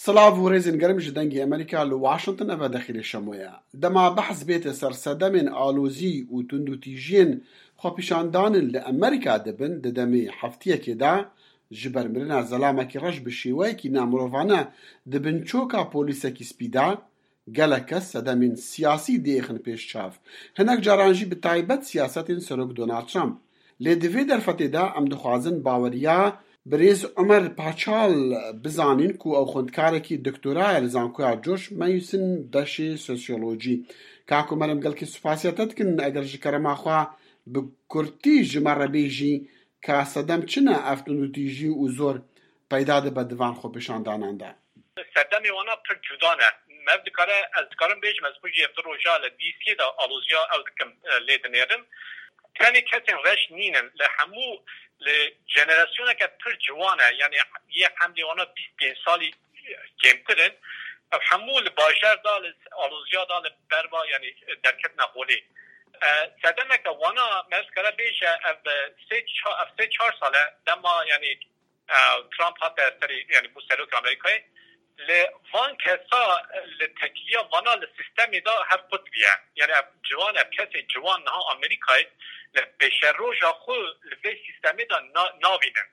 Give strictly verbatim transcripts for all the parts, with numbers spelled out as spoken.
Silav û rêzên germ ji Dengê Amerîka li Washington, eve Dexîlê Şemo ye. Dema behs bête ser sedemên alozî û tundûtîjiyên xwepîşandanin li Amerîka dibin, di demê heftiyekê de ji ber mirina zelamekî reş bi şêweyekî namirovane di bin çoka polîsekî spî de, gelek kes sedemên siyasî diêxin pêş çav. Hinek caran jî bi taybet siyasetên Serok Donald Trump. Lê di vê derfetê de em dixwazin baweriya birêz Omer Paçal bizanîn ku ew xwendkarekî doktora ye li Zankoya George Mason beşê sosyolojî. Kak Omer, em gelkî spasiya te dikin, eger ji kerema xwe bi kurtî ji me re bêjî ka sedem çi ne ev tundûtîjî û zor peyda dibe di van xwepêşandanan de? Sedemê wana pir cuda ne. Me dikare, ez dikarim bêjim, ez xwe jî ev du roja li D C'yê de aloziya ew dikim, e, lê dinêrim. Tenê kesên reş nînin. Li hemû, li jenerasyoneke pir ciwan e. Yani yê hemlê wana bîst pênc salî kêmtir in. Ev hemû li bajar de, li aloziya de, li berva, yani derketina holê. E, sedemeke wana me dikare bêje ev sê ça-, ev sê çar sal e dema, yani e, Trump hate serê, yani bû serokê Amerîkayê, li van kesa, li tekiliya vana li sîstemê de hev qut bûye. Yani ev ciwan, ev kesê ciwan niha Amerîkayê li pêşeroja xwe li vê sîstemê de na-, navînin.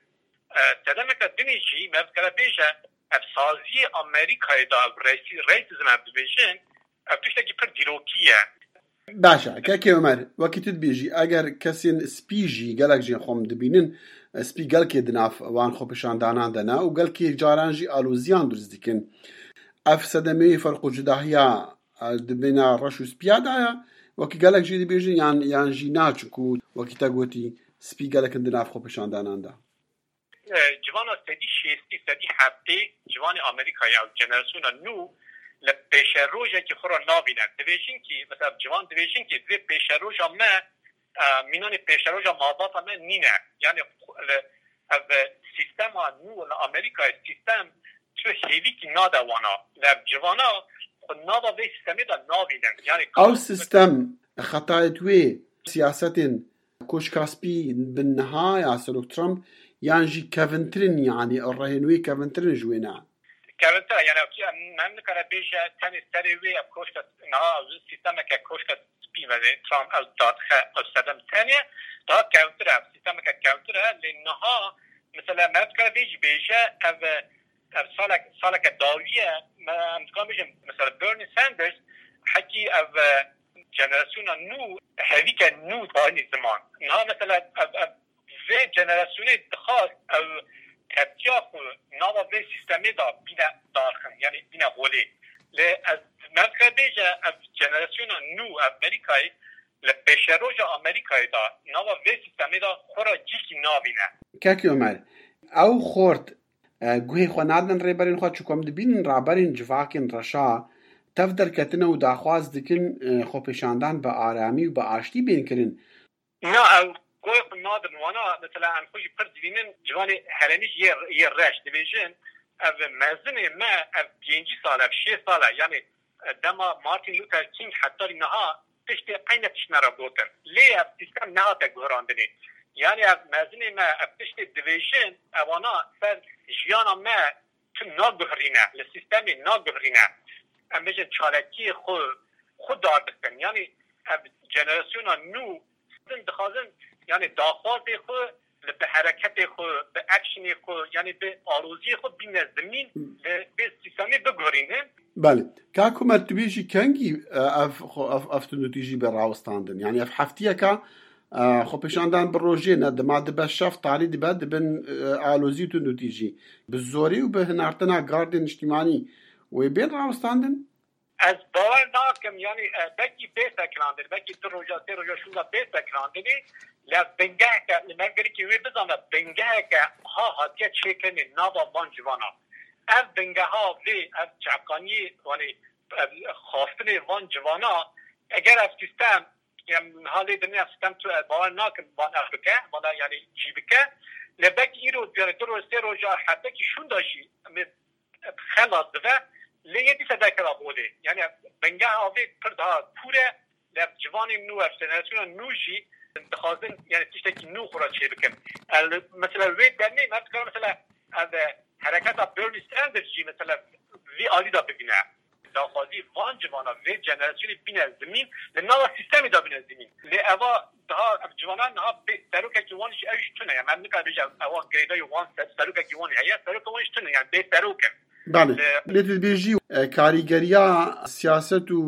E, sedemeke dinê jî me dikare bêje, ev saziyê Amerîkayê de, ev raci-, racism em dibêjin, ev tiştekî pir dîrokî ye. Baş e, Kekê Omer, wekî tu dibêjî, eger kesên spî jî, gelek jê xwe em dibînin, spî gelkê di nav wan xwepêşandanan de ne û gelkê caran jî aloziyan dirust dikin. Ev sedemeyê ferq û cudahiya, e, di bîna reş û spiya de ye, wekî gelek jî dibêjin yan, yan jî na, çunku wekî te gotî, spî gelek in di nav xwepêşandanan de. E, civana sedî şêstî, sedî heftê ciwanê Amerîkayê ew jenerasyona nû li pêşerojekî xwe re navîne. Dibêjin kî, mesela ciwan dibêjin kî divê pêşeroja me, e, mînanê pêşeroja malbata me nîne. Yani li, ev sîstema nû li Amerîkayê sîstem tu hêvîkî nade wana. Li ev civana xwe nava vê sîstemê de navînin. Yani Ew sîstem xetayet wê siyasetên Koşka Spî bin niha ya Serok Trump yan jî kevintirin, yanî rehên wê kevintirin ji wê ne? Kevintir e, yani em, em nikare bêje tenê serê wê ev koşka niha sîstemeke koşka spî ve Trump ew dadixe ew sedem tenê daha kevintir e, ev sîstemeke kevintir e, lê niha mesela me dikare vê jî bêje ev, ev salek, saleke dawî ye, me, em dikare bêjin mesela Bernie Sanders hekî ev jenerasyona nû hevîke nû dayînî ziman. Niha mesela ev, ev vê jenerasyonê dixwast ew tepkiya xwe nava vê sîstemê de bîne darxin, yani bîne holê. Lê ez me dikare bêje ev jenerasyona nû ev Amerîkayê li pêşeroja Amerîkayê de nava vê sîstemê de xwe re cîkî navîne. Kekê Omer, ew xort, e, guhê xwe nadin rêberên xwe, çunku em dibînin raberên civakên reşa tev derketine û daxwaz dikin, e, xwepêşandan bi aramî û bi aştî bên kirin. Na, ew guhê xwe nadin wana, mesela em xwe jî pir dibînin, ciwanê herêmî jî yê, yê reş dibêjin, ev mezinê me, ev pêncî sal, ev şêst sal e, yani, e, dema Martin Luther King heta niha tiştê eyne tişt me re gotin. Lê ev sîstem nehate guherandinê. Yani ev mezinê me, ev tiştê dibêjin, ewana ser jiyana me tu naguherîne, li sîstemê naguherîne. Em bêjin çalakiyê xwe, xwe dar dikin. Yani ev jenerasyona nû din dixwazin, yani daxwazê xwe li bi hereketê xwe, bi actionê xwe, yani bi aloziyê xwe bîne zimîn, li vê sîstemê biguherînin. Belê. Kak Omer, tu bêjî kengî, e, ev, xwe, ev, ev tundûtîjî bê rawestandin? Yani ev heftiyeka, e, xwepêşandan bi rojê ne, dima dibe şev, talî dibe, dibin, e, alozî û tundûtîjî. Bi zorî û bi hinartina gardên niştîmanî wê bên rawestandin? Ez bawer nakim, yani, e, belkî bê sekilandin, belkî du roja, sê roja şûnda bê sekilandinê, lê bingeheke, li me gerek wê bizane, bingeheke ha hatiye çêkirinê nava van civana. Ev bingeha vê, ev çavkaniyê, yani, ev xwastinê van civana, eger ev sîstem, em niha lê dinê ev sîstem tu, e, bawer nakin van ev bike, vana, yani, cî bike. Lê belkî îro, yani, du roj, sê roja, hefteki şûnda jî, em ê xelas dibe, lê yê dîsa derkeve holê. Yani bingeha vê pir daha kûr e, lê ev ciwanên nû, ev jenerasyona nû jî dixwazin, yani tiştekî nû xwe re çêbikin. El, mesela wê demê me dikare mesela ev, e, Hereketa Bernie Sanders jî mesela vî alî de bibîne. Daxwazî van civana vê jenerasyonê bîne zimîn, li nava sîstemê de bîne zimîn. Lê eva daha ev civanan niha bê serokekî wan jî ew jî tune ye. Em nikare bêje ewa girêdayî wan ser-, serokekî wan heye, serokê wan jî tune, yani bê serok in. Belê. Lê tu dibêjî, e, karîgeriya siyaset û,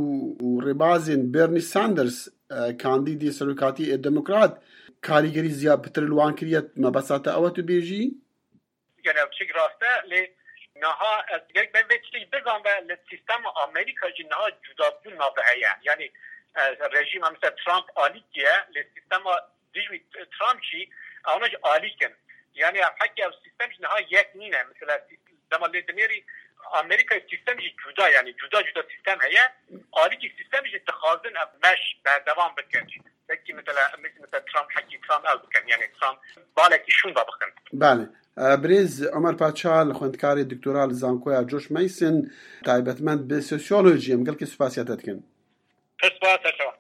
û rêbazên Bernie Sanders, e, kandîdê serokatî ê demokrat, karîgerî ziya pitir li wan kiriye, mebesta te ew e tu bêjî? Yani ev çik rast e, lê niha ez gerek ben vê tiştê bizanim, li sîstema Amerîka jî niha cudabûn nave heye. Yani, e, rejîma mesela Trump alîkî ye, lê sîstema dijî Trump jî, ewna jî alîk in. Yani ev hekî ev sîstem jî niha yek nîne. Mesela sî-, dema lê dinêrî Amerîka sîstem jî cuda, yani cuda cuda sîstem heye. Alîkî sîstem jî dixwazin ev meş berdewam bikin. Belkî mesela, mesela Trump, hekî Trump ew bikin, yani Trump balekî şûnda bikin. Belê. E, birêz Omer Paçal, xwendkarê doktora li Zankoya George Mason, taybetmend bi sosyolojî, em gelkî spasiya te dikin. Pir spas, ser çawa.